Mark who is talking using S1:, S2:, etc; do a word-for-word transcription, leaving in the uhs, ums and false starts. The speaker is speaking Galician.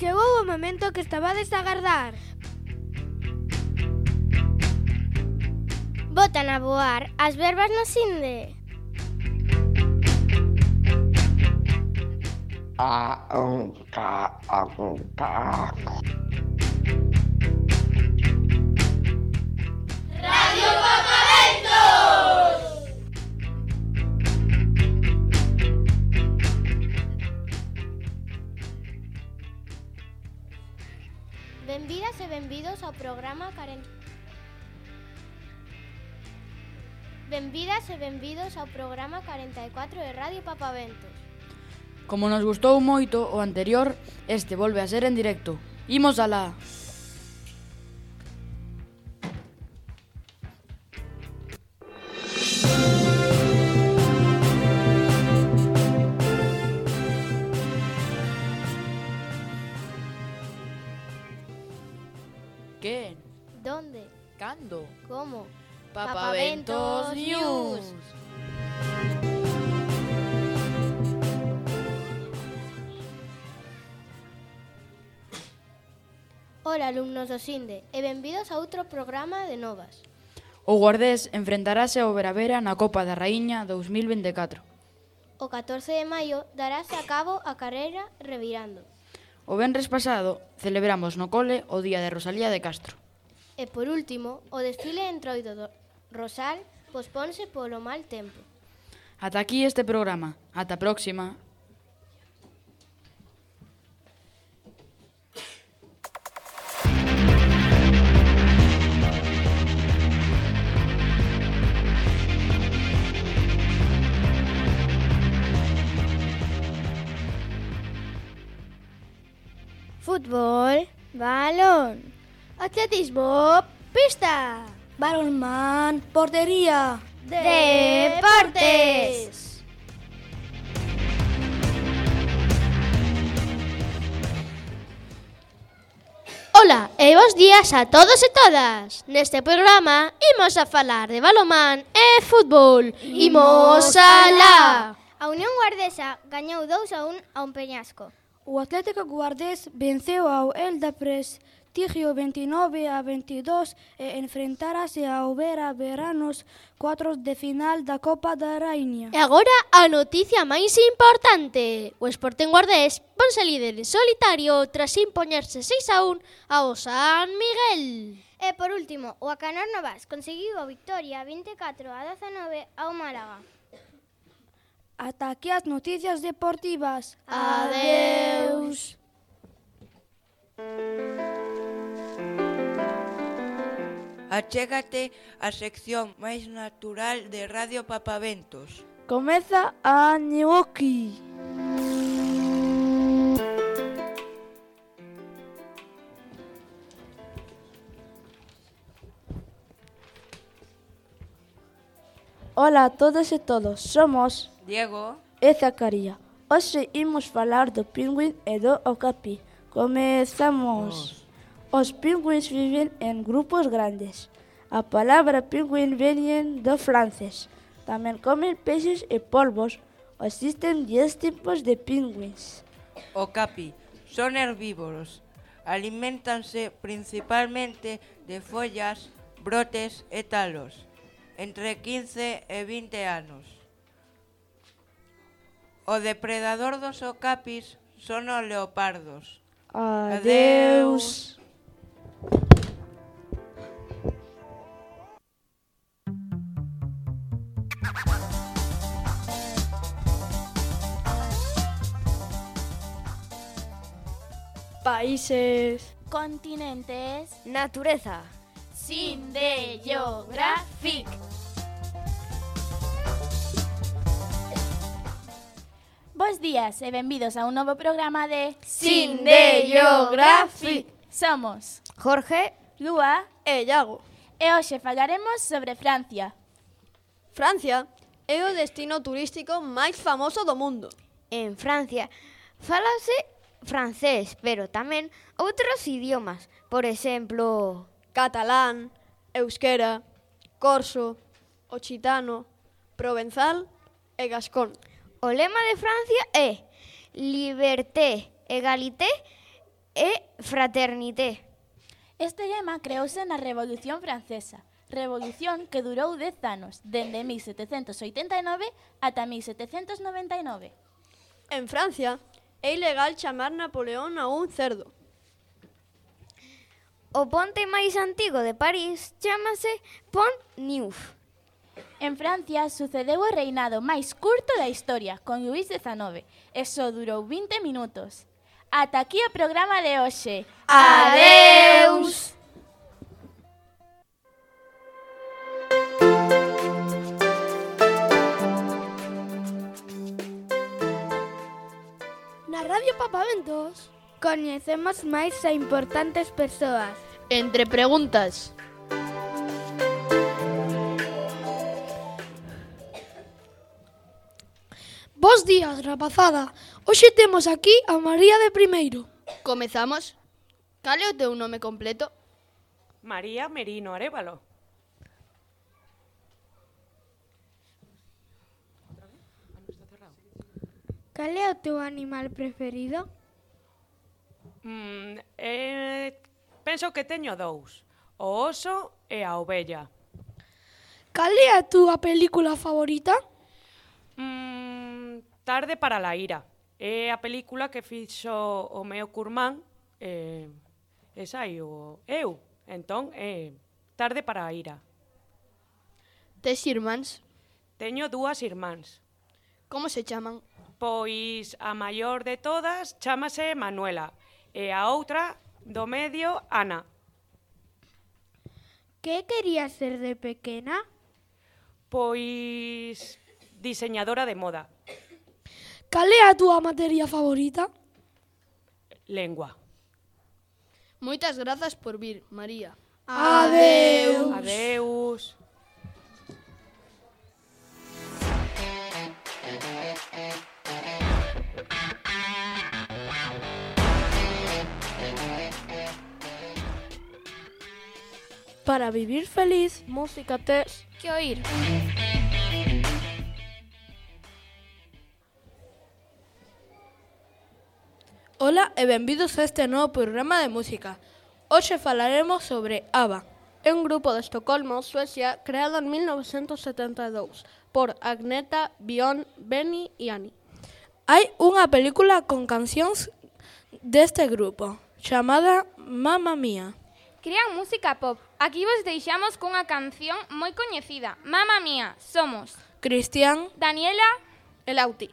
S1: Chegou o momento que estabades a agardar.
S2: Botan a voar as verbas no Sinde.
S3: A, un, ca, a, un, ca.
S4: Radio Papaventos!
S2: Benvidas e benvidos ao programa cuarenta... Benvidas e benvidos ao programa cuarenta e cuatro de Radio Papaventos.
S5: Como nos gustou moito o anterior, este volve a ser en directo. Imos alá. ¿Qué?
S2: ¿Dónde?
S5: ¿Cando?
S2: ¿Cómo?
S5: Papaventos News.
S2: Hola, alumnos do Sinde, e benvidos a outro programa de novas.
S5: O Guardés enfrentarase ao Veravera na Copa da Raíña dous mil vinte e catro.
S2: O catorce de maio darase a cabo a carreira Revirando.
S5: O venres pasado celebramos no cole o Día de Rosalía de Castro.
S2: E por último, o desfile entroido do Rosal posponse polo mal tempo.
S5: Ata aquí este programa. Ata a próxima.
S1: Fútbol, balón. Atletismo, pista. Balonmán, portería.
S2: Deportes. Ola e bos días a todos e todas. Neste programa imos a falar de balonmán e fútbol. Imos alá. A Unión Guardesa gañou dous a un a un Peñasco.
S1: O Atlético Guardés venceu ao Elda Prestigio veintinueve a veintidós e enfrentarase ao Vera Veranos cuartos de final da Copa da Raíña.
S2: E agora a noticia máis importante. O Sporting Guardés ponse líder en solitario tras impoñerse seis a un ao San Miguel. E por último, o Acanor Novas conseguiu a victoria vinte e catro a dezanove ao Málaga.
S1: Ata aquí as noticias deportivas.
S2: Adeus.
S6: Achégate a sección máis natural de Radio Papaventos.
S1: Comeza a Ñuoki. Ola a todas e todos, somos
S6: Diego
S1: e Zacaría. Hoxe imos falar do pingüín e do okapi. Comezamos. Os pingüins viven en grupos grandes. A palabra pingüín vén do francés. Tamén comen peixes e polvos. Existen dez tipos de pingüins.
S6: Okapi son herbívoros. Aliméntanse principalmente de follas, brotes e talos. Entre quince e vinte anos. O depredador dos okapis son os leopardos.
S1: Adeus. Países,
S7: Continentes.
S1: natureza.
S7: Sinde Geographic. Bos días e benvidos a un novo programa de
S1: Sinde Geographic.
S7: Somos
S1: Jorge
S7: Lúa
S1: e Iago.
S7: e hoxe falaremos sobre Francia.
S8: Francia é o destino turístico máis famoso do mundo.
S2: En Francia fálase francés, pero tamén outros idiomas. Por exemplo,
S8: Catalán, euskera, corso, occitano, provenzal e gascón.
S2: o lema de Francia é Liberté, Egalité
S9: e fraternité.
S7: Este lema creouse na Revolución Francesa, revolución que durou dez anos, dende mil setecentos oitenta e nove ata mil setecentos noventa e nove.
S8: En Francia, é ilegal chamar Napoleón a un cerdo.
S9: O ponte máis antigo de París chámase Pont Neuf.
S7: En Francia sucedeu o reinado máis curto da historia, con Luís dezanove, e só durou vinte minutos. Ata aquí o programa de hoxe.
S9: Adeus!
S2: Na Radio Papaventos
S1: coñecemos máis a importantes persoas.
S5: Entre preguntas.
S2: Bos días, rapazada. Hoxe temos aquí a María de Primeiro.
S5: Comezamos. Cal é o teu nome completo?
S10: María Merino Arévalo.
S1: Cal é o teu animal preferido?
S10: Mm, eh, penso que teño dous. O oso e a ovella.
S2: Cal é a túa película favorita?
S10: Mm, Tarde para la ira. É a película que fixo o meu curmán e, e saio eu. Entón, é Tarde para a ira.
S5: Tes irmáns?
S10: Teño dúas irmáns.
S5: Como se chaman?
S10: Pois a maior de todas chámase Manuela e a outra do medio Ana.
S1: Que querías ser de pequena?
S10: Pois diseñadora de moda.
S2: Cal é a túa materia favorita?
S10: Lengua.
S5: Moitas grazas por vir, María.
S2: Adeus.
S10: Adeus.
S1: Para vivir feliz,
S2: Música tes que oír.
S11: Ola e benvidos a este novo programa de música. Hoxe falaremos sobre ABBA.
S8: É un grupo de Estocolmo, Suecia, creado en mil novecientos setenta e dous por Agneta, Björn, Benny e Annie.
S11: Hai unha película con cancións deste grupo, chamada Mamma Mía.
S12: Crean música pop. Aquí vos deixamos cunha canción moi coñecida. Mamma Mía, somos
S11: Cristian,
S12: Daniela
S8: e Lauti.